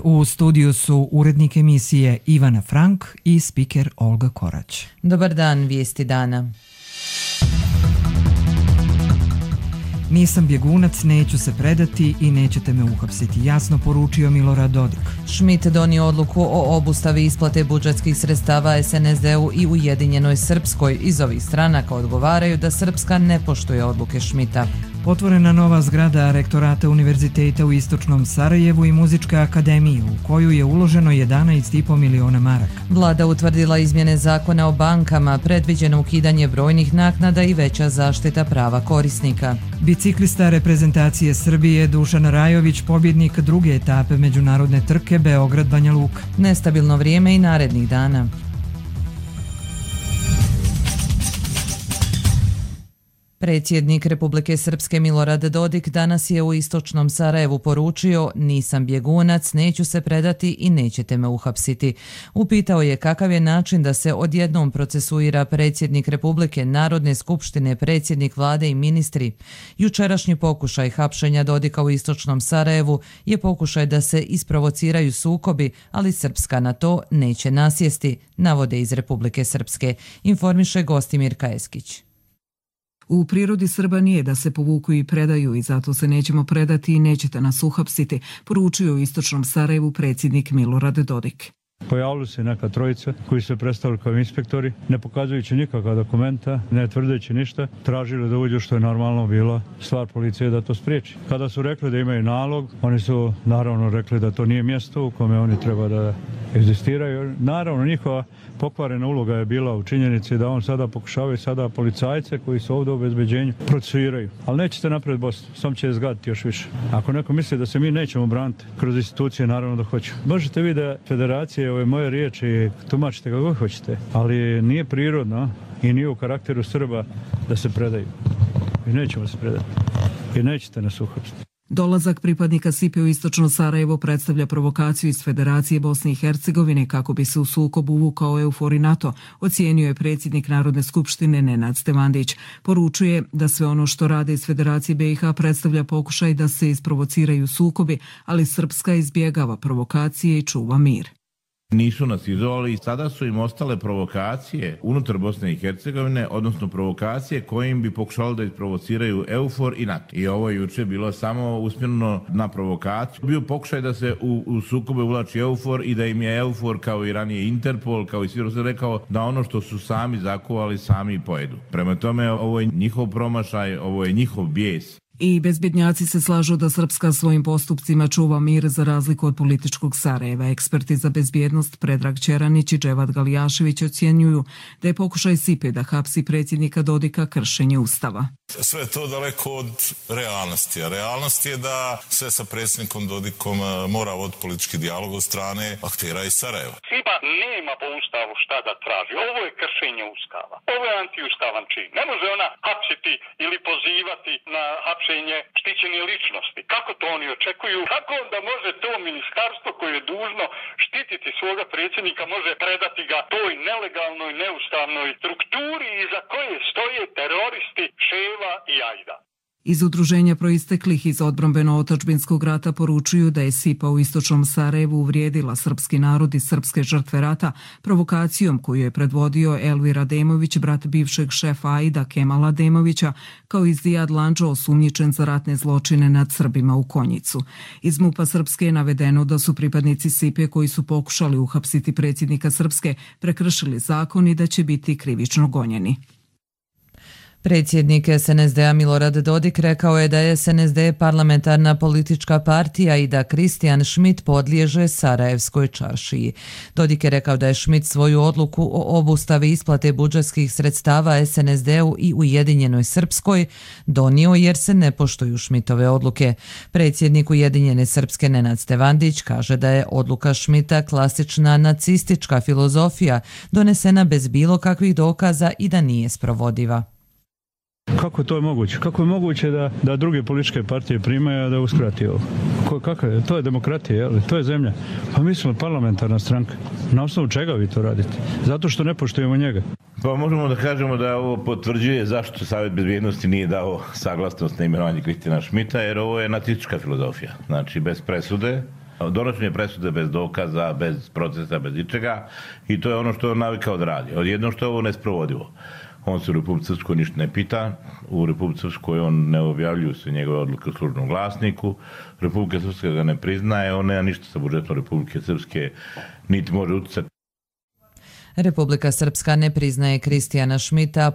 U studiju su urednik emisije Ivana Frank i spiker Olga Korać. Dobar dan, vijesti dana. Nisam bjegunac, neću se predati i nećete me uhapsiti, jasno poručio Milorad Dodik. Schmidt donio odluku o obustavi isplate budžetskih sredstava SNSD-u i Ujedinjenoj Srpskoj. Iz ovih stranaka odgovaraju da Srpska ne poštuje odluke Schmidta. Otvorena nova zgrada rektorata Univerziteta u Istočnom Sarajevu i Muzičke akademije, u koju je uloženo 11,5 miliona maraka. Vlada utvrdila izmjene zakona o bankama, predviđeno ukidanje brojnih naknada i veća zaštita prava korisnika. Biciklista reprezentacije Srbije Dušan Rajović, pobjednik druge etape međunarodne trke Beograd-Banja Luka. Nestabilno vrijeme i narednih dana. Predsjednik Republike Srpske Milorad Dodik danas je u Istočnom Sarajevu poručio: nisam bjegunac, neću se predati i nećete me uhapsiti. Upitao je kakav je način da se odjednom procesuira predsjednik Republike, Narodne skupštine, predsjednik vlade i ministri. Jučerašnji pokušaj hapšenja Dodika u Istočnom Sarajevu je pokušaj da se isprovociraju sukobi, ali Srpska na to neće nasjesti, navode iz Republike Srpske, informiše Gostimir Kajeskić. U prirodi Srba nije da se povuku i predaju i zato se nećemo predati i nećete nas uhapsiti, poručio u Istočnom Sarajevu predsjednik Milorad Dodik. Pojavili se neka trojica koji se predstavili kao inspektori, ne pokazujući nikakva dokumenta, ne tvrdeći ništa, tražili da uđu, što je normalno bila stvar policije da to spriječi. Kada su rekli da imaju nalog, oni su naravno rekli da to nije mjesto u kome oni treba da egzistiraju. Naravno, njihova pokvarena uloga je bila u činjenici da on sada pokušavaju sada policajce koji su ovdje u obezbeđenju procesuiraju. Ali nećete napred Bosnu, sam će zgaditi još više. Ako neko misli da se mi nećemo braniti kroz institucije, naravno da hoću. Možete vi da federacije, ove moje riječi, tumačite kako hoćete, ali nije prirodno i nije u karakteru Srba da se predaju. I nećemo se predati. I nećete nas uhapsiti. Dolazak pripadnika SIPE u Istočno Sarajevo predstavlja provokaciju iz Federacije Bosne i Hercegovine kako bi se u sukob uvukao EUFOR i NATO, ocijenio je predsjednik Narodne skupštine Nenad Stevandić. Poručuje da sve ono što rade iz Federacije BiH predstavlja pokušaj da se isprovociraju sukobi, ali Srpska izbjegava provokacije i čuva mir. Nisu nas izolali i sada su im ostale provokacije unutar Bosne i Hercegovine, odnosno provokacije kojim bi pokušali da isprovociraju EUFOR i NATO. I ovo je juče bilo samo usmjereno na provokaciju. Bio pokušaj da se u sukobe uvlači EUFOR i da im je EUFOR kao i ranije Interpol, kao i svi se rekao da ono što su sami zakovali sami pojedu. Prema tome ovo je njihov promašaj, ovo je njihov bijes. I bezbjednjaci se slažu da Srpska svojim postupcima čuva mir za razliku od političkog Sarajeva. Eksperti za bezbjednost Predrag Ćeranić i Dževad Galijašević ocjenjuju da je pokušaj SIPE da hapsi predsjednika Dodika kršenje Ustava. Sve je to daleko od realnosti. A realnost je da sve sa predsjednikom Dodikom mora voditi politički dijalog od strane aktera iz Sarajeva. SIPA nema po Ustavu šta da traži. Ovo je kršenje Ustava. Ovo je antiustavan čin. Ne može ona hapsiti ili pozivati na hapšenje štićene ličnosti. Kako to oni očekuju? Kako onda može to ministarstvo koje je dužno štititi svoga predsjednika može predati ga toj nelegalnoj, neustavnoj strukturi iza koje stoje teroristi Ševa i Ajda? Iz udruženja proisteklih iz odbrambeno-otačbinskog rata poručuju da je SIPA u Istočnom Sarajevu uvrijedila srpski narod i srpske žrtve rata provokacijom koju je predvodio Elvir Ademović, brat bivšeg šefa Ajda Kemala Ademovića, kao i Zijad Landžo, osumnjičen za ratne zločine nad Srbima u Konjicu. Iz MUP-a Srpske je navedeno da su pripadnici SIPE koji su pokušali uhapsiti predsjednika Srpske prekršili zakon i da će biti krivično gonjeni. Predsjednik SNSD-a Milorad Dodik rekao je da je SNSD parlamentarna politička partija i da Kristijan Schmidt podliježe Sarajevskoj čaršiji. Dodik je rekao da je Schmidt svoju odluku o obustavi isplate budžetskih sredstava SNSD-u i Ujedinjenoj Srpskoj donio jer se ne poštuju Schmidtove odluke. Predsjednik Ujedinjene Srpske Nenad Stevandić kaže da je odluka Schmidta klasična nacistička filozofija donesena bez bilo kakvih dokaza i da nije sprovodiva. Kako to je moguće? Kako je moguće da druge političke partije primaju, a da uskrati ovo? Kako je? To je demokratija, jel? To je zemlja. Pa mi smo parlamentarna stranka. Na osnovu čega vi to radite? Zato što ne poštujemo njega. Pa možemo da kažemo da ovo potvrđuje zašto Savjet bezbjednosti nije dao saglasnost na imenovanje Kristijana Schmidta, jer ovo je nacistička filozofija. Znači, bez presude Donošenje presude bez dokaza, bez procesa, bez ničega i to je ono što je on navikao da radi. Odjedno što je ovo nesprovodivo. On se u Republici Srpskoj ništa ne pita, u Republici Srpskoj on ne objavljuju se njegove odluke u službenom glasniku, Republika Srpska ga ne priznaje, on nema ništa sa budžetom Republike Srpske, niti može uticati. Republika Srpska ne priznaje Kristijana Šmita,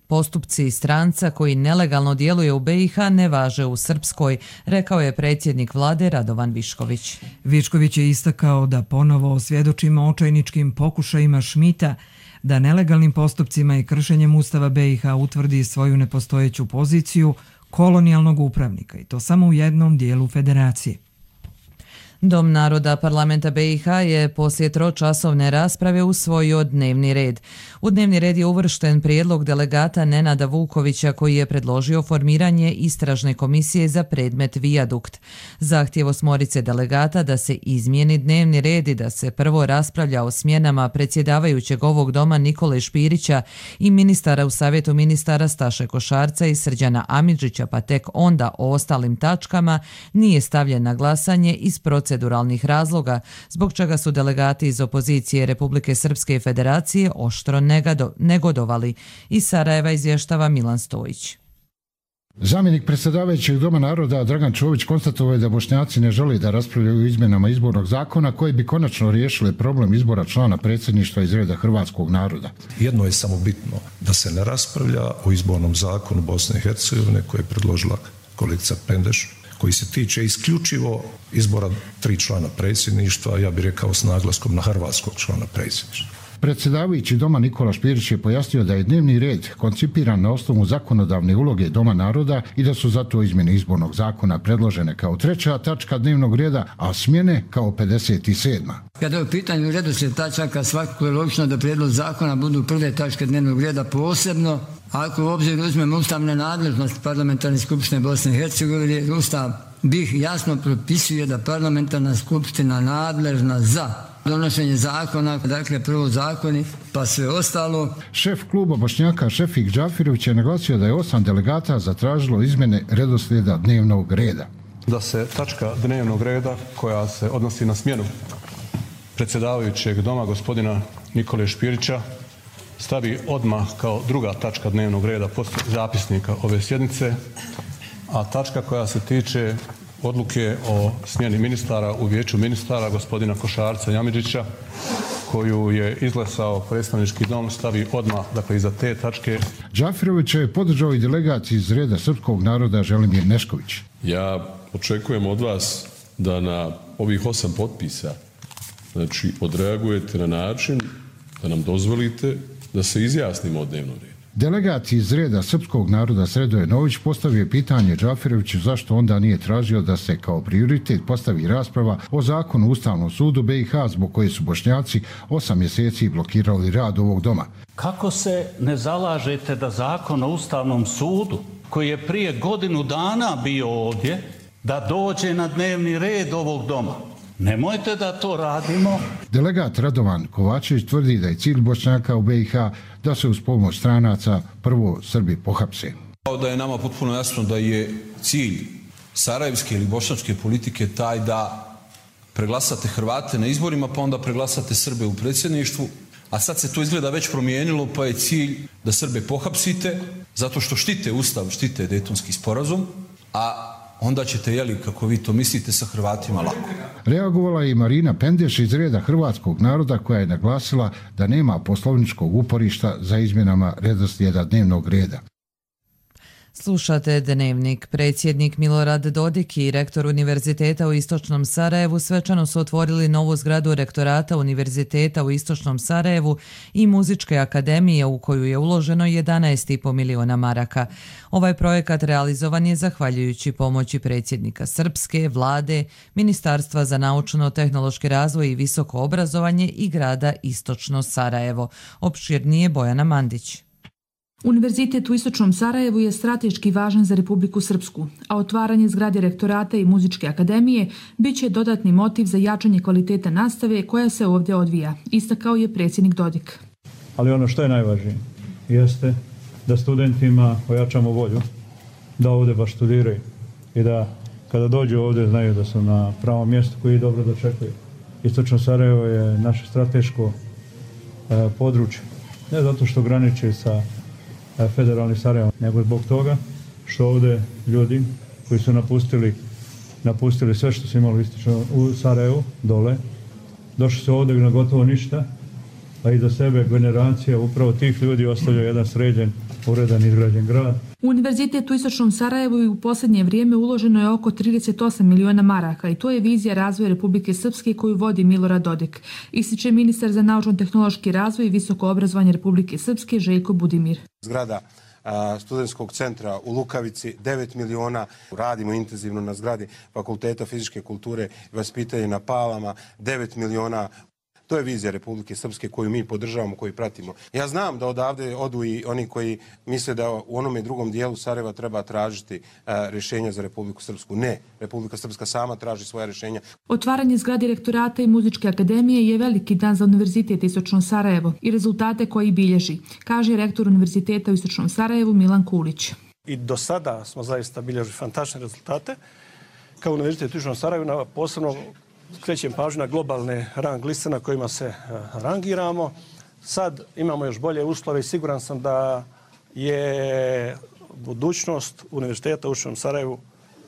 postupci stranca koji nelegalno djeluje u BiH ne važe u Srpskoj, rekao je predsjednik vlade Radovan Višković. Višković je istakao da ponovo svjedočimo očajničkim pokušajima Šmita da nelegalnim postupcima i kršenjem Ustava BiH utvrdi svoju nepostojeću poziciju kolonijalnog upravnika i to samo u jednom dijelu federacije. Dom naroda parlamenta BiH je poslije tročasovne rasprave usvojio dnevni red. U dnevni red je uvršten prijedlog delegata Nenada Vukovića koji je predložio formiranje istražne komisije za predmet Vijadukt. Zahtjev 8 delegata da se izmijeni dnevni red i da se prvo raspravlja o smjenama predsjedavajućeg ovog doma Nikole Špirića i ministara u savjetu ministara Staše Košarca i Srđana Amidžića, pa tek onda o ostalim tačkama, nije stavljen na glasanje iz proceduralnih razloga, zbog čega su delegati iz opozicije Republike Srpske i Federacije oštro negodovali. Iz Sarajeva izvještava Milan Stojić. Zamjenik predsjedavajućeg Doma naroda Dragan Čović konstatovao je da Bošnjaci ne žele da raspravljaju o izmjenama izbornog zakona koji bi konačno riješile problem izbora člana predsjedništva iz reda hrvatskog naroda. Jedno je samo bitno, da se ne raspravlja o izbornom zakonu Bosne i Hercegovine koje je predložila kolegica Pendeš, koji se tiče isključivo izbora 3 člana predsjedništva, ja bih rekao s naglaskom na hrvatskog člana predsjedništva. Predsjedavajući Doma Nikola Špirić je pojasnio da je dnevni red koncipiran na osnovu zakonodavne uloge Doma naroda i da su zato izmjene izbornog zakona predložene kao 3. tačka dnevnog reda, a smjene kao 57. Kada je u pitanju redoslijed tačaka, svakako je logično da prijedlog zakona budu prve tačke dnevnog reda posebno, ako u obzir uzmemo ustavne nadležnosti Parlamentarne skupštine Bosne i Hercegovine, Ustav BiH jasno propisuje da Parlamentarna skupština nadležna za donošenje zakona, dakle prvo zakoni, pa sve ostalo. Šef kluba Bošnjaka Šefik Džafirović je naglasio da je 8 delegata zatražilo izmjene redoslijeda dnevnog reda. Da se tačka dnevnog reda koja se odnosi na smjenu predsjedavajućeg doma gospodina Nikole Špirića stavi odmah kao 2. tačka dnevnog reda poslije zapisnika ove sjednice, a tačka koja se tiče odluke o smjeni ministara u vijeću ministara gospodina Košarca i Amidžića koju je izglasao predstavnički dom stavi odmah, dakle iza te tačke. Džafirović je podržao i delegat iz reda srpskog naroda Želimir Nešković. Ja očekujem od vas da na ovih 8 potpisa odreagujete na način da nam dozvolite da se izjasnimo o dnevnom redu. Delegat iz reda srpskog naroda Sredoje Nović postavio pitanje Džafiroviću zašto onda nije tražio da se kao prioritet postavi rasprava o zakonu o Ustavnom sudu BiH zbog koje su Bošnjaci 8 mjeseci blokirali rad ovog doma. Kako se ne zalažete da zakon o Ustavnom sudu koji je prije godinu dana bio ovdje, da dođe na dnevni red ovog doma? Nemojte da to radimo. Delegat Radovan Kovačević tvrdi da je cilj Bošnjaka u BiH da se uz pomoć stranaca prvo Srbi pohapse. Da je nama potpuno jasno da je cilj sarajevske ili bošnjačke politike taj da preglasate Hrvate na izborima, pa onda preglasate Srbe u predsjedništvu, a sad se to izgleda već promijenilo, pa je cilj da Srbe pohapsite zato što štite Ustav, štite Dejtonski sporazum, a onda ćete, kako vi to mislite, sa Hrvatima lako. Reagovala je i Marina Pendeš iz reda hrvatskog naroda koja je naglasila da nema poslovničkog uporišta za izmjenama redoslijeda dnevnog reda. Slušate Dnevnik. Predsjednik Milorad Dodik i rektor Univerziteta u Istočnom Sarajevu svečano su otvorili novu zgradu rektorata Univerziteta u Istočnom Sarajevu i Muzičke akademije u koju je uloženo 11,5 miliona maraka. Ovaj projekat realizovan je zahvaljujući pomoći predsjednika Srpske, vlade, Ministarstva za naučno-tehnološki razvoj i visoko obrazovanje i grada Istočno Sarajevo. Opširnije Bojana Mandić. Univerzitet u Istočnom Sarajevu je strateški važan za Republiku Srpsku, a otvaranje zgrade rektorata i Muzičke akademije bit će dodatni motiv za jačanje kvaliteta nastave koja se ovdje odvija, istakao je predsjednik Dodik. Ali ono što je najvažnije jeste da studentima ojačamo volju da ovdje baš studiraju i da kada dođu ovdje znaju da su na pravom mjestu koji dobro dočekuju. Istočno Sarajevo je naše strateško područje. Ne zato što graniči sa federalnim Sarajevom, nego zbog toga što ovdje ljudi koji su napustili sve što su imali u Sarajevu, dole, došli su ovdje na gotovo ništa, a iza sebe generacija upravo tih ljudi ostavlja jedan sređen, uredan, izgrađen grad. U Univerzitet u Istočnom Sarajevu i u posljednje vrijeme uloženo je oko 38 miliona maraka i to je vizija razvoja Republike Srpske koju vodi Milorad Dodik, ističe ministar za naučno-tehnološki razvoj i visoko obrazovanje Republike Srpske Željko Budimir. Zgrada studentskog centra u Lukavici 9 miliona, radimo intenzivno na zgradi Fakulteta fizičke kulture i vaspitanja na Palama 9 miliona. To je vizija Republike Srpske koju mi podržavamo, koju pratimo. Ja znam da odavde odu i oni koji misle da u onome drugom dijelu Sarajeva treba tražiti rješenja za Republiku Srpsku. Ne, Republika Srpska sama traži svoja rješenja. Otvaranje zgrade rektorata i muzičke akademije je veliki dan za Univerzitet Istočno Sarajevo i rezultate koji bilježi, kaže rektor Univerziteta u Istočnom Sarajevu Milan Kulić. I do sada smo zaista bilježili fantastične rezultate. Kao Univerzitet u Istočnom Sarajevu posebno skrećem pažnju na globalne rang liste na kojima se rangiramo. Sad imamo još bolje uslove i siguran sam da je budućnost Univerziteta u Istočnom Sarajevu,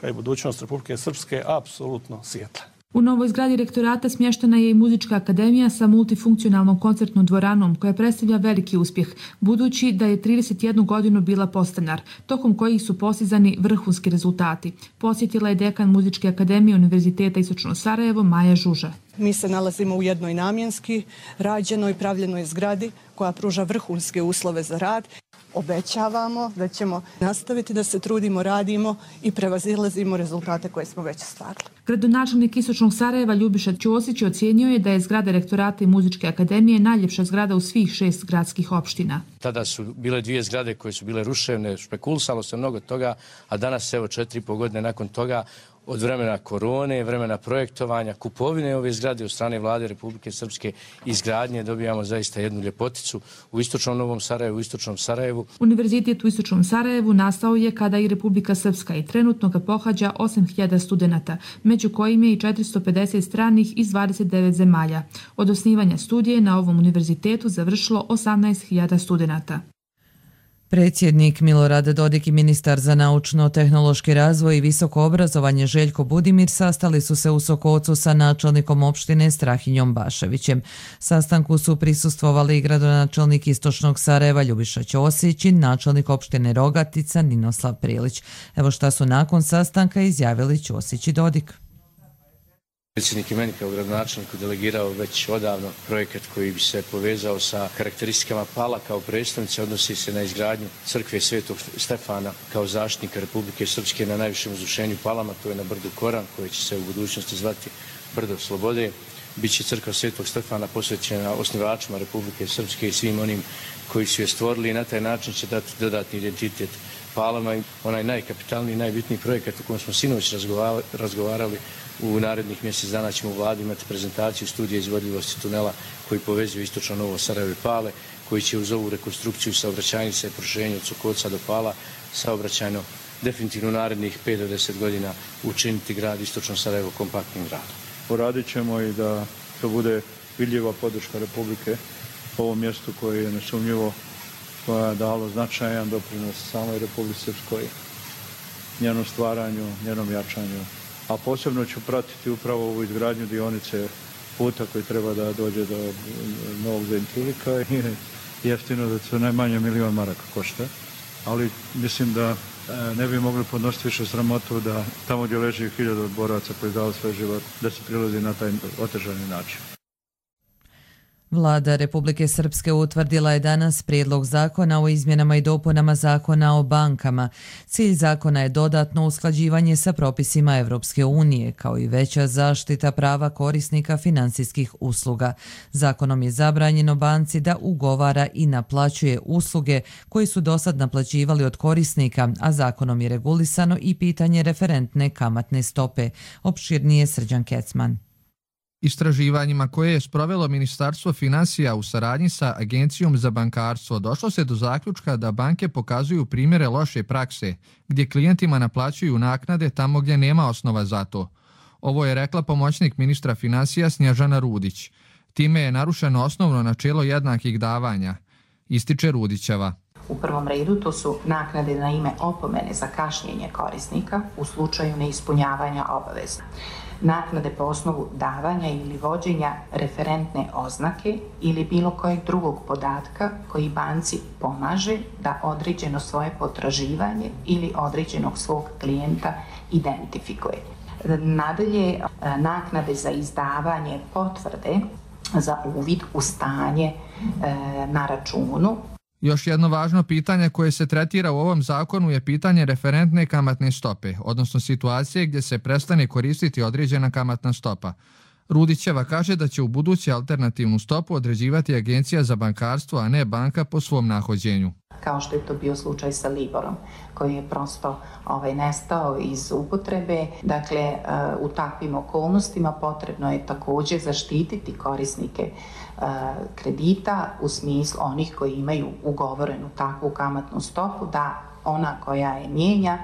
kao i budućnost Republike Srpske, apsolutno svijetla. U novoj zgradi rektorata smještena je i muzička akademija sa multifunkcionalnom koncertnom dvoranom koja predstavlja veliki uspjeh, budući da je 31 godinu bila podstanar, tokom kojih su postizani vrhunski rezultati. Posjetila je dekan Muzičke akademije Univerziteta Istočno Sarajevo Maja Žuža. Mi se nalazimo u jednoj namjenski rađenoj, pravljenoj zgradi koja pruža vrhunske uslove za rad. Obećavamo da ćemo nastaviti da se trudimo, radimo i prevazilazimo rezultate koje smo već ostvarili. Gradonačelnik Istočnog Sarajeva Ljubiša Ćosić ocijenio je da je zgrada rektorata i muzičke akademije najljepša zgrada u svih 6 gradskih opština. Tada su bile 2 zgrade koje su bile ruševne, špekulisalo se mnogo toga, a danas evo 4,5 godine nakon toga, od vremena korone, vremena projektovanja, kupovine ove zgrade od strane vlade Republike Srpske i izgradnje dobijamo zaista jednu ljepoticu u Istočnom Novom Sarajevu, u Istočnom Sarajevu. Univerzitet u Istočnom Sarajevu nastao je kada i Republika Srpska i trenutno ga pohađa 8.000 studenata, među kojim je i 450 stranih iz 29 zemalja. Od osnivanja studije na ovom univerzitetu završilo 18.000 studenata. Predsjednik Milorad Dodik i ministar za naučno-tehnološki razvoj i visoko obrazovanje Željko Budimir sastali su se u Sokocu sa načelnikom opštine Strahinjom Baševićem. Sastanku su prisustvovali i gradonačelnik Istočnog Sarajeva Ljubiša Ćosić i načelnik opštine Rogatica Ninoslav Prilić. Evo šta su nakon sastanka izjavili Ćosić i Dodik. Predsjednik je meni kao gradonačelniku delegirao već odavno projekat koji bi se povezao sa karakteristikama Pala kao predstavnice, odnosi se na izgradnju crkve Svetog Stefana kao zaštitnika Republike Srpske na najvišem uzvišenju Palama, to je na brdu Koran, koje će se u budućnosti zvati Brdo Slobode. Biće crkva Svetog Stefana posvećena osnivačima Republike Srpske i svim onim koji su je stvorili i na taj način će dati dodatni identitet Palama i onaj najkapitalniji, najbitniji projekat o kojem smo sinoć razgovarali. U narednih mjesec dana ćemo u vladi imati prezentaciju studije izvodljivosti tunela koji povezuje Istočno Novo Sarajevo i Pale, koji će uz ovu rekonstrukciju saobraćajnice i proširenje od Sokoca do Pala saobraćajno definitivno u narednih 5 do 10 godina učiniti grad Istočno Sarajevo kompaktnim gradom. Poradit ćemo i da to bude vidljiva podrška Republike ovom mjestu koje je nesumnjivo koja je dalo značajan doprinos samoj Republici Srpskoj, njenom stvaranju, njenom jačanju. A posebno ću pratiti upravo ovu izgradnju dionice puta koji treba da dođe do Novog Zentulika i jeftino da se najmanje 1 milion maraka košta. Ali mislim da ne bi mogli podnositi više sramotu da tamo gdje leži 1000 boraca koji dao svoj život, da se prilazi na taj otežani način. Vlada Republike Srpske utvrdila je danas prijedlog zakona o izmjenama i dopunama zakona o bankama. Cilj zakona je dodatno usklađivanje sa propisima Evropske unije, kao i veća zaštita prava korisnika finansijskih usluga. Zakonom je zabranjeno banci da ugovara i naplaćuje usluge koje su dosad naplaćivali od korisnika, a zakonom je regulisano i pitanje referentne kamatne stope. Opširnije Srđan Kecman. Istraživanjima koje je sprovelo Ministarstvo finansija u saradnji sa Agencijom za bankarstvo došlo se do zaključka da banke pokazuju primjere loše prakse, gdje klijentima naplaćuju naknade tamo gdje nema osnova za to. Ovo je rekla pomoćnik ministra finansija Snježana Rudić. Time je narušeno osnovno načelo jednakih davanja, ističe Rudićeva. U prvom redu to su naknade na ime opomene za kašnjenje korisnika u slučaju neispunjavanja obaveza. Naknade po osnovu davanja ili vođenja referentne oznake ili bilo kojeg drugog podatka koji banci pomaže da određeno svoje potraživanje ili određenog svog klijenta identifikuje. Nadalje, naknade za izdavanje potvrde za uvid u stanje na računu. Još jedno važno pitanje koje se tretira u ovom zakonu je pitanje referentne kamatne stope, odnosno situacije gdje se prestane koristiti određena kamatna stopa. Rudićeva kaže da će u buduće alternativnu stopu određivati Agencija za bankarstvo, a ne banka po svom nahođenju. Kao što je to bio slučaj sa Liborom, koji je prosto nestao iz upotrebe. Dakle, u takvim okolnostima potrebno je također zaštititi korisnike kredita u smislu onih koji imaju ugovorenu takvu kamatnu stopu, da ona koja je mijenja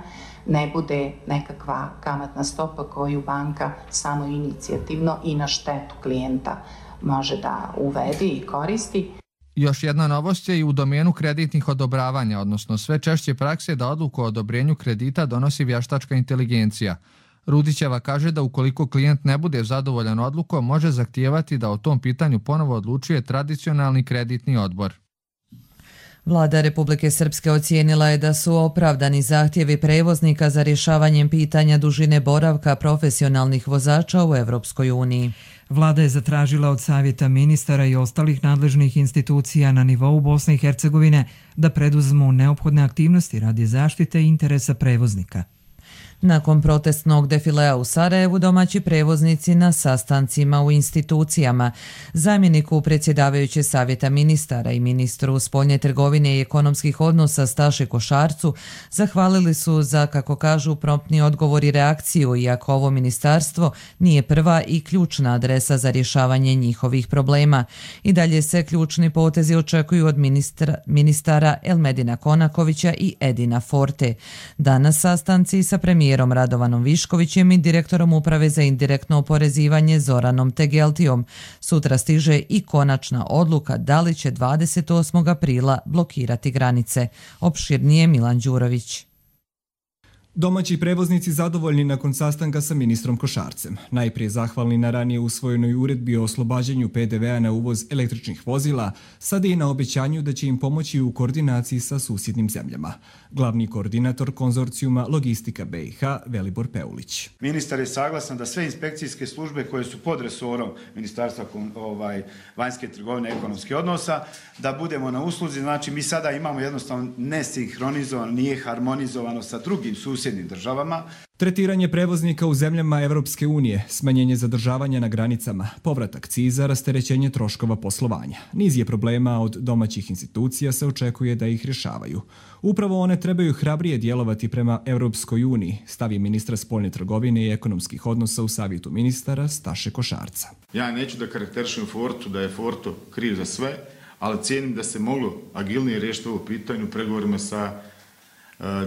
ne bude nekakva kamatna stopa koju banka samoinicijativno i na štetu klijenta može da uvede i koristi. Još jedna novost je i u domenu kreditnih odobravanja, odnosno sve češće prakse da odluku o odobrenju kredita donosi vještačka inteligencija. Rudićeva kaže da ukoliko klijent ne bude zadovoljan odlukom, može zahtijevati da o tom pitanju ponovo odlučuje tradicionalni kreditni odbor. Vlada Republike Srpske ocijenila je da su opravdani zahtjevi prevoznika za rješavanjem pitanja dužine boravka profesionalnih vozača u Evropskoj uniji. Vlada je zatražila od Savjeta ministara i ostalih nadležnih institucija na nivou Bosne i Hercegovine da preduzmu neophodne aktivnosti radi zaštite interesa prevoznika. Nakon protestnog defilea u Sarajevu, domaći prevoznici na sastancima u institucijama, zamjeniku predsjedavajuće Savjeta ministara i ministru spoljne trgovine i ekonomskih odnosa Staše Košarcu zahvalili su za, kako kažu, promptni odgovor i reakciju, iako ovo ministarstvo nije prva i ključna adresa za rješavanje njihovih problema. I dalje se ključni potezi očekuju od ministara Elmedina Konakovića i Edina Forte. Danas sastanci sa premijerom Radovanom Viškovićem i direktorom Uprave za indirektno oporezivanje Zoranom Tegeltijom. Sutra stiže i konačna odluka da li će 28. aprila blokirati granice. Opširnije Milan Đurović. Domaći prevoznici zadovoljni nakon sastanka sa ministrom Košarcem. Najprije zahvalni na ranije usvojenoj uredbi o oslobađanju PDV-a na uvoz električnih vozila, sada i na obećanju da će im pomoći u koordinaciji sa susjednim zemljama. Glavni koordinator konzorcijuma Logistika BiH, Velibor Peulić. Ministar je saglasan da sve inspekcijske službe koje su pod resorom Ministarstva vanjske trgovine i ekonomskih odnosa, da budemo na usluzi. Znači, mi sada imamo jednostavno nesinhronizovano, nije harmonizovano sa drugim susjednim državama. Tretiranje prevoznika u zemljama Evropske unije, smanjenje zadržavanja na granicama, povrat akciza, rasterećenje troškova poslovanja. Niz je problema od domaćih institucija se očekuje da ih rješavaju. Upravo one trebaju hrabrije djelovati prema Evropskoj uniji, stavi ministra spoljne trgovine i ekonomskih odnosa u Savjetu ministara Staše Košarca. Ja neću da karakterišem Fortu, da je Forto kriv za sve, ali cijenim da se moglo agilnije riješiti ovo pitanje u pregovorima sa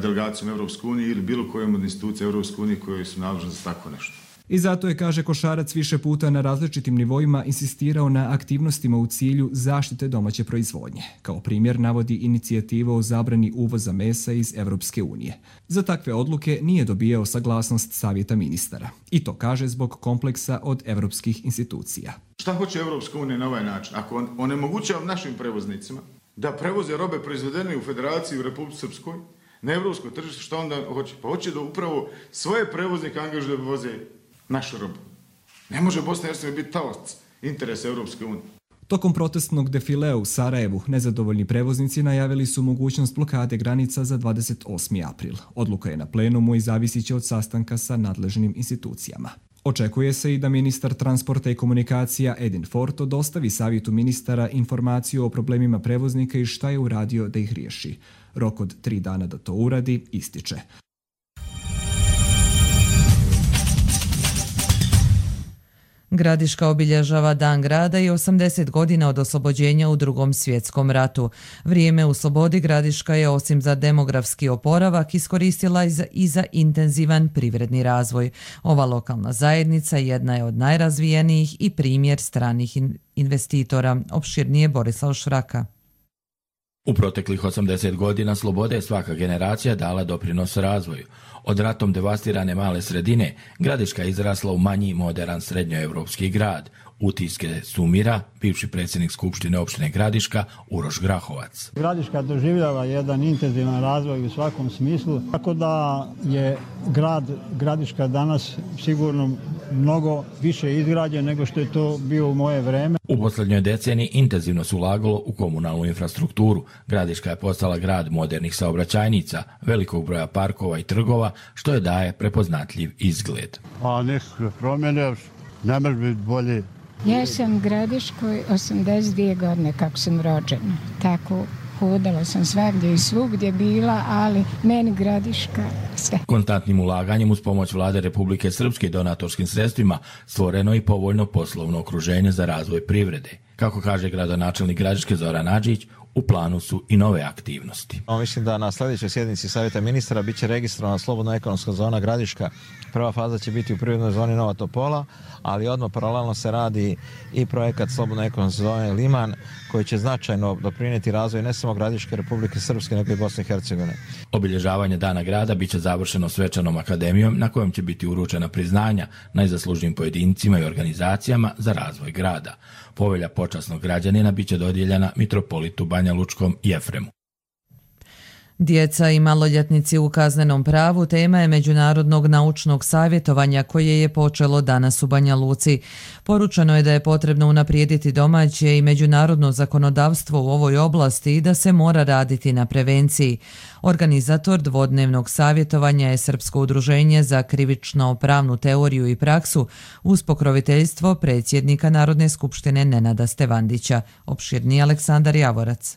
delegacijom Evropske unije ili bilo kojom od institucija Evropske unije koje su nadležne za tako nešto. I zato je, kaže Košarac, više puta na različitim nivoima insistirao na aktivnostima u cilju zaštite domaće proizvodnje. Kao primjer navodi inicijativu o zabrani uvoza mesa iz Evropske unije. Za takve odluke nije dobijao saglasnost Savjeta ministara. I to kaže zbog kompleksa od evropskih institucija. Šta hoće Evropska unija na ovaj način? Ako onemogućava našim prevoznicima da prevoze robe proizvedene u Federaciji u Republici Srpskoj, na evropsko tržište, što onda hoće? Pa hoće da upravo svoje prevoznike angažuju da voze našu robu. Ne može Bosna i Hercegovina biti talac interesa Evropske unije. Tokom protestnog defilea u Sarajevu nezadovoljni prevoznici najavili su mogućnost blokade granica za 28. april. Odluka je na plenumu i zavisit će od sastanka sa nadležnim institucijama. Očekuje se i da ministar transporta i komunikacija Edin Forto dostavi Savjetu ministara informaciju o problemima prevoznika i šta je uradio da ih riješi. Rok od 3 dana da to uradi ističe. Gradiška obilježava Dan grada i 80 godina od oslobođenja u Drugom svjetskom ratu. Vrijeme u slobodi Gradiška je osim za demografski oporavak iskoristila i za intenzivan privredni razvoj. Ova lokalna zajednica jedna je od najrazvijenijih i primjer stranih investitora. Opširnije Borislav Šraka. U proteklih 80 godina slobode je svaka generacija dala doprinos razvoju. Od ratom devastirane male sredine, Gradiška je izrasla u manji moderan srednjoevropski grad. Utiske sumira bivši predsjednik Skupštine opštine Gradiška Uroš Grahovac. Gradiška doživljava jedan intenzivan razvoj u svakom smislu, tako da je Gradiška danas sigurno mnogo više izgrađen nego što je to bio u moje vreme. U posljednjoj deceniji intenzivno se ulagalo u komunalnu infrastrukturu. Gradiška je postala grad modernih saobraćajnica, velikog broja parkova i trgova, što je daje prepoznatljiv izgled. A nekakve promjene, ne može biti bolje. Ja sam u Gradiškoj 82 godine kako sam rođena. Tako hodala sam svagdje i svugdje bila, ali meni Gradiška sve. Konstantnim ulaganjem uz pomoć Vlade Republike Srpske i donatorskim sredstvima stvoreno i povoljno poslovno okruženje za razvoj privrede. Kako kaže gradonačelnik Gradiške Zoran Adžić, u planu su i nove aktivnosti. Mislim da na sljedećoj sjednici Savjeta ministara biće registrovana slobodna ekonomska zona Gradiška. Prva faza će biti u privrednoj zoni Nova Topola, ali odmah paralelno se radi i projekat slobodne ekonomske zone Liman, koji će značajno doprinijeti razvoju ne samo Gradiške, Republike Srpske, nego i Bosne i Hercegovine. Obilježavanje Dana grada biće završeno svečanom akademijom na kojem će biti uručena priznanja najzaslužnijim pojedincima i organizacijama za razvoj grada. Povelja počasnog građanina biće dodijeljena mitropolitu Banja Lučkom Jefremu. Djeca i maloljetnici u kaznenom pravu tema je Međunarodnog naučnog savjetovanja koje je počelo danas u Banja Luci. Poručeno je da je potrebno unaprijediti domaće i međunarodno zakonodavstvo u ovoj oblasti i da se mora raditi na prevenciji. Organizator dvodnevnog savjetovanja je Srpsko udruženje za krivično-pravnu teoriju i praksu uz pokroviteljstvo predsjednika Narodne skupštine Nenada Stevandića. Opširni Aleksandar Javorac.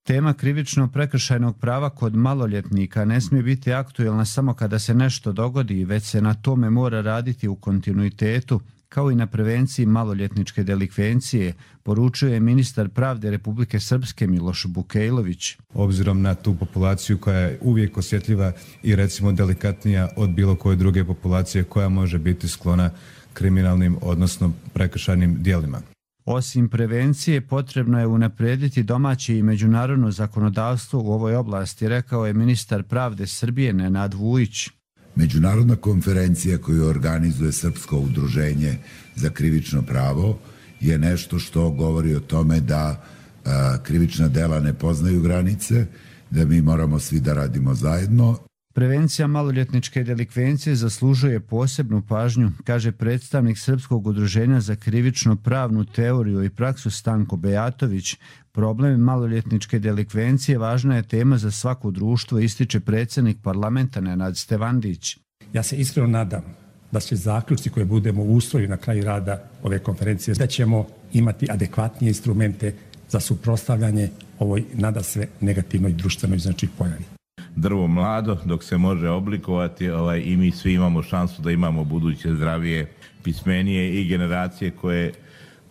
Tema krivično-prekršajnog prava kod maloljetnika ne smije biti aktuelna samo kada se nešto dogodi, već se na tome mora raditi u kontinuitetu, kao i na prevenciji maloljetničke delikvencije, poručuje ministar pravde Republike Srpske Miloš Bukejlović. Obzirom na tu populaciju koja je uvijek osjetljiva i recimo delikatnija od bilo koje druge populacije koja može biti sklona kriminalnim, odnosno prekršajnim djelima. Osim prevencije, potrebno je unaprijediti domaće i međunarodno zakonodavstvo u ovoj oblasti, rekao je ministar pravde Srbije Nenad Vujić. Međunarodna konferencija koju organizuje Srpsko udruženje za krivično pravo je nešto što govori o tome da krivična dela ne poznaju granice, da mi moramo svi da radimo zajedno. Prevencija maloljetničke delikvencije zaslužuje posebnu pažnju, kaže predstavnik Srpskog udruženja za krivično pravnu teoriju i praksu Stanko Bejatović. Problem maloljetničke delikvencije važna je tema za svako društvo, ističe predsjednik parlamenta Nenad Stevandić. Ja se iskreno nadam da će zaključci koje budemo usvojili na kraju rada ove konferencije, da ćemo imati adekvatnije instrumente za suprotstavljanje ovoj nadasve negativnoj društvenoj pojavi. Drvo mlado dok se može oblikovati i mi svi imamo šansu da imamo buduće zdravije, pismenije i generacije koje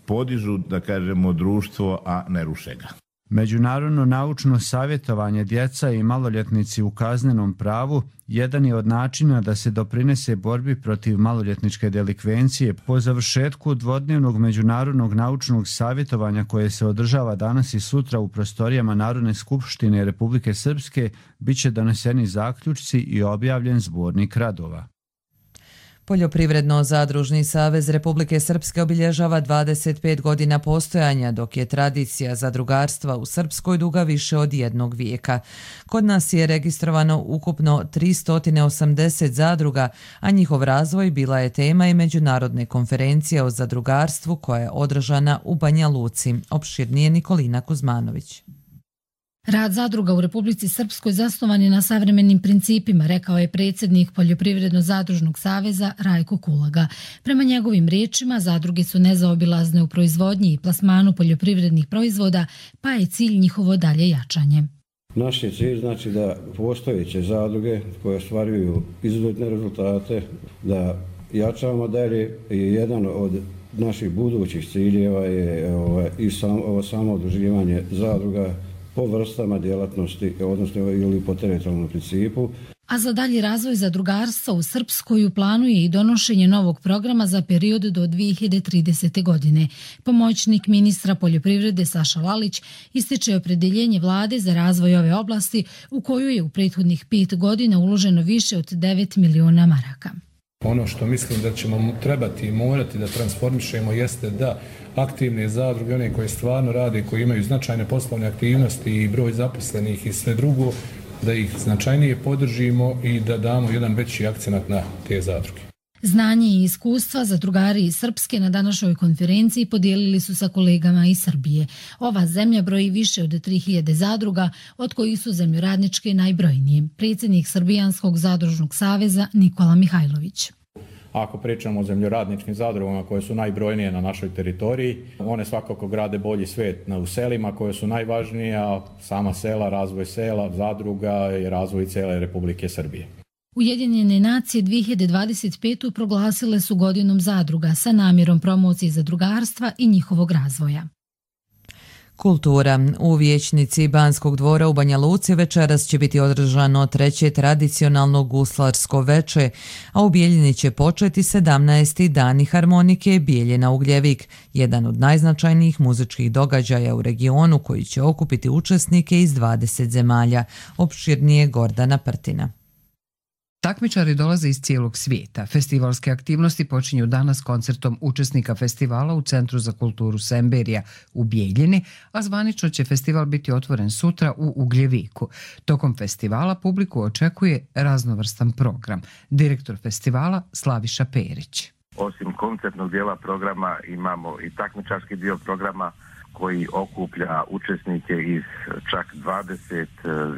podižu, da kažemo, društvo, a ne ruše ga. Međunarodno naučno savjetovanje djeca i maloljetnici u kaznenom pravu jedan je od načina da se doprinese borbi protiv maloljetničke delikvencije. Po završetku dvodnevnog međunarodnog naučnog savjetovanja koje se održava danas i sutra u prostorijama Narodne skupštine Republike Srpske, bit će doneseni zaključci i objavljen zbornik radova. Poljoprivredno-zadružni savez Republike Srpske obilježava 25 godina postojanja, dok je tradicija zadrugarstva u Srpskoj duga više od jednog vijeka. Kod nas je registrovano ukupno 380 zadruga, a njihov razvoj bila je tema i međunarodne konferencije o zadrugarstvu koja je održana u Banja Luci. Opširnije Nikolina Kuzmanović. Rad zadruga u Republici Srpskoj zasnovan je na savremenim principima, rekao je predsjednik Poljoprivredno-zadružnog saveza Rajko Kulaga. Prema njegovim riječima, zadruge su nezaobilazne u proizvodnji i plasmanu poljoprivrednih proizvoda, pa je cilj njihovo dalje jačanje. Naš je cilj znači da postojeće zadruge koje ostvaruju izuzetne rezultate, da jačamo dalje, je jedan od naših budućih ciljeva je i samo udruživanje zadruga po vrstama djelatnosti, odnosno ili po teritorijalnom principu. A za dalji razvoj zadrugarstva u Srpskoj u planu je i donošenje novog programa za period do 2030. godine. Pomoćnik ministra poljoprivrede Saša Lalić ističe opredeljenje vlade za razvoj ove oblasti u koju je u prethodnih 5 godina uloženo više od 9 miliona maraka. Ono što mislim da ćemo trebati i morati da transformišemo jeste da aktivne zadruge, one koje stvarno rade, koji imaju značajne poslovne aktivnosti i broj zaposlenih i sve drugo, da ih značajnije podržimo i da damo jedan veći akcenat na te zadruge. Znanje i iskustva zadrugari iz Srpske na današnjoj konferenciji podijelili su sa kolegama iz Srbije. Ova zemlja broji više od 3000 zadruga, od kojih su zemljoradničke najbrojnije. Predsjednik Srbijanskog zadružnog saveza Nikola Mihajlović. Ako pričamo o zemljoradničkim zadrugama koje su najbrojnije na našoj teritoriji, one svakako grade bolji svijet u selima koje su najvažnije, a sama sela, razvoj sela, zadruga i razvoj cijele Republike Srbije. Ujedinjene nacije 2025. proglasile su godinom zadruga sa namjerom promocije zadrugarstva i njihovog razvoja. Kultura. U vijećnici Banskog dvora u Banja Luci večeras će biti održano 3. tradicionalno guslarsko veče, a u Bijeljini će početi 17. Dani harmonike Bijeljina Ugljevik, jedan od najznačajnijih muzičkih događaja u regionu koji će okupiti učesnike iz 20 zemalja. Opširnije Gordana Prtina. Takmičari dolaze iz cijelog svijeta. Festivalske aktivnosti počinju danas koncertom učesnika festivala u Centru za kulturu Semberija u Bijeljini, a zvanično će festival biti otvoren sutra u Ugljeviku. Tokom festivala publiku očekuje raznovrstan program. Direktor festivala Slaviša Perić. Osim koncertnog dijela programa imamo i takmičarski dio programa koji okuplja učesnike iz čak 20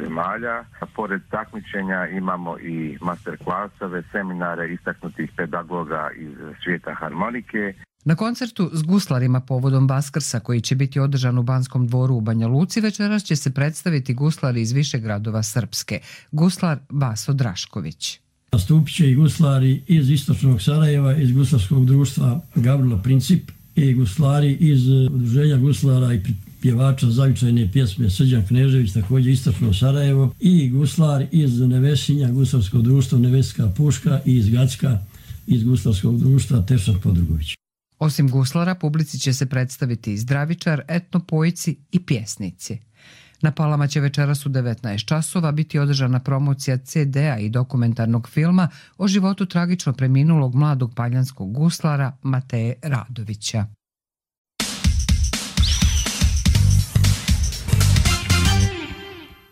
zemalja. Pored takmičenja imamo i masterklasove, seminare istaknutih pedagoga iz svijeta harmonike. Na koncertu s guslarima povodom Vaskrsa koji će biti održan u Banskom dvoru u Banja Luci večeras će se predstaviti guslari iz više gradova Srpske. Guslar Vaso Drašković. Nastupit će i guslari iz istočnog Sarajeva, iz guslarskog društva Gavrilo Princip i guslari iz udruženja guslara i pjevača zavičajne pjesme Srđan Knežević, također istočno Sarajevo, i guslar iz Nevesinja, guslarskog društva Neveska Puška, i iz Gacka, iz guslarskog društva Tešan Podrugović. Osim guslara, publici će se predstaviti i zdravičar, etnopojci i pjesnici. Na Palama će večeras u 19 časova biti održana promocija CD-a i dokumentarnog filma o životu tragično preminulog mladog paljanskog guslara Mateje Radovića.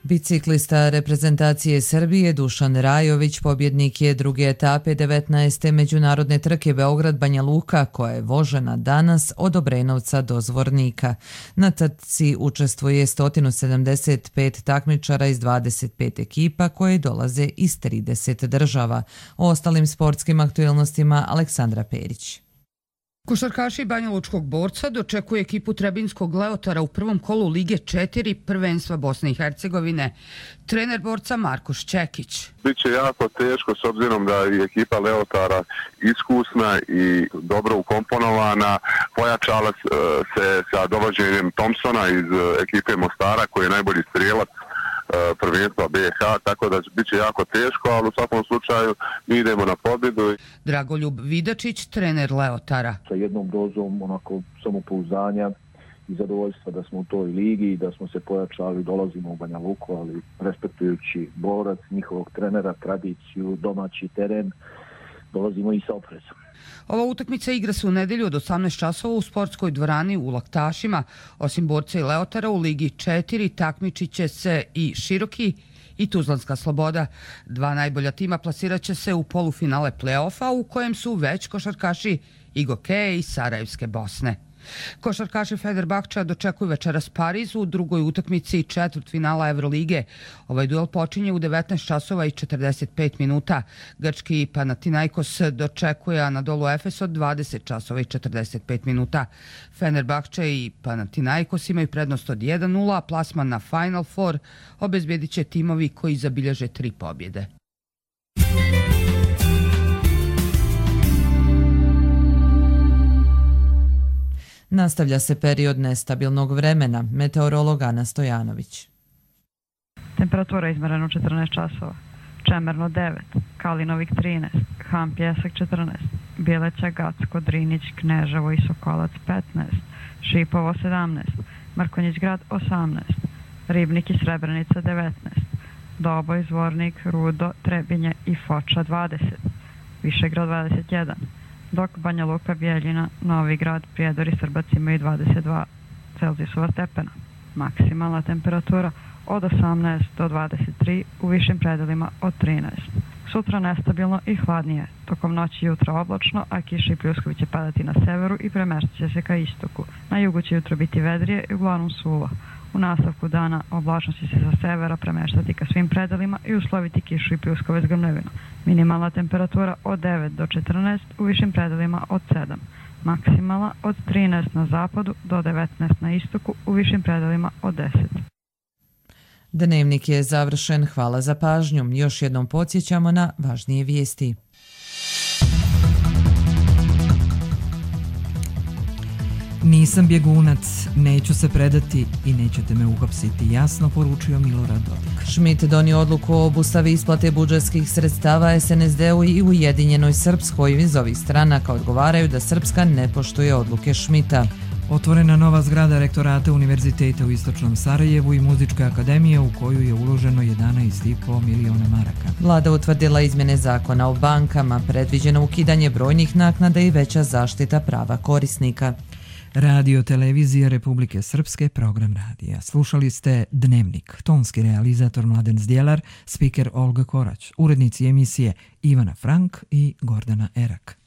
Biciklista reprezentacije Srbije Dušan Rajović pobjednik je druge etape 19. međunarodne trke Beograd-Banja Luka koja je vožena danas od Obrenovca do Zvornika. Na trci učestvuje 175 takmičara iz 25 ekipa koje dolaze iz 30 država. O ostalim sportskim aktualnostima Aleksandra Perić. Košarkaši Banjalučkog Borca dočekuje ekipu Trebinskog Leotara u prvom kolu Lige 4 prvenstva Bosne i Hercegovine. Trener Borca Markoš Čekić. Biće jako teško s obzirom da je ekipa Leotara iskusna i dobro ukomponovana. Pojačala se sa dovođenjem Thompsona iz ekipe Mostara koji je najbolji strijelac prvenstva BiH, tako da bit će jako teško, ali u svakom slučaju mi idemo na pobjedu. Dragoljub Vidačić, trener Leotara. Sa jednom dozom onako samopouzdanja i zadovoljstva da smo u toj ligi, da smo se pojačali, dolazimo u Banja Luku, ali respektujući Borac, njihovog trenera, tradiciju, domaći teren, dolazimo i sa oprezom. Ova utakmica igra se u nedelju od 18 časova u sportskoj dvorani u Laktašima. Osim Borca i Leotara u Ligi 4 takmičit će se i Široki i Tuzlanska Sloboda. Dva najbolja tima plasirat će se u polufinale play-offa u kojem su već košarkaši Igoke i Sarajevske Bosne. Košarkaši Fenerbahča dočekuju večeras Pariz u drugoj utakmici četvrtfinala Evrolige. Ovaj duel počinje u 19 časova i 45 minuta. Grčki Panathinaikos dočekuje Anadolu Efes od 20 časova i 45 minuta. Fenerbahča i Panathinaikos imaju prednost od 1-0, a plasman na Final Four obezbedit će timovi koji zabilježe 3 pobjede. Nastavlja se period nestabilnog vremena, meteorolog Ana Stojanović. Temperatura izmerena u 14 časova. Čemerno 9, Kalinovik 13, Han Pjesak 14, Bjeleća, Gacko, Drinić, Kneževo i Sokolac 15, Šipovo 17, Mrkonjić grad 18, Ribnik i Srebrenica 19, Doboj, Zvornik, Rudo, Trebinje i Foča 20, Višegrad 21, dok Banja Luka, Bijeljina, Novi Grad, Prijedor i Srbac imaju 22 Celzijusova stepena. Maksimalna temperatura od 18 do 23, u višim predelima od 13. Sutra nestabilno i hladnije, tokom noći i jutra oblačno, a kiša i pljuskovi će padati na severu i premeštat će se ka istoku. Na jugu će jutro biti vedrije i uglavnom suvo. U nastavku dana oblačnost će se sa severa premeštati ka svim predelima i usloviti kišu i pljuskove s grmljavinom. Minimalna temperatura od 9 do 14, u višim predelima od 7. Maksimalna od 13 na zapadu do 19 na istoku, u višim predelima od 10. Dnevnik je završen, hvala za pažnju. Još jednom podsjećamo na važnije vijesti. Nisam bjegunac, neću se predati i nećete me uhapsiti, jasno poručio Milorad Dodik. Schmidt donio odluku o obustavi isplate budžetskih sredstava SNSD-u i Ujedinjenoj Srpskoj. Iz ovih stranaka odgovaraju da Srpska ne poštuje odluke Schmidta. Otvorena nova zgrada rektorata Univerziteta u Istočnom Sarajevu i Muzičke akademije u koju je uloženo 11,5 miliona maraka. Vlada utvrdila izmjene zakona o bankama, predviđeno ukidanje brojnih naknada i veća zaštita prava korisnika. Radio Televizija Republike Srpske, program radija. Slušali ste Dnevnik, tonski realizator Mladen Zdjelar, spiker Olga Korać, urednici emisije Ivana Frank i Gordana Erak.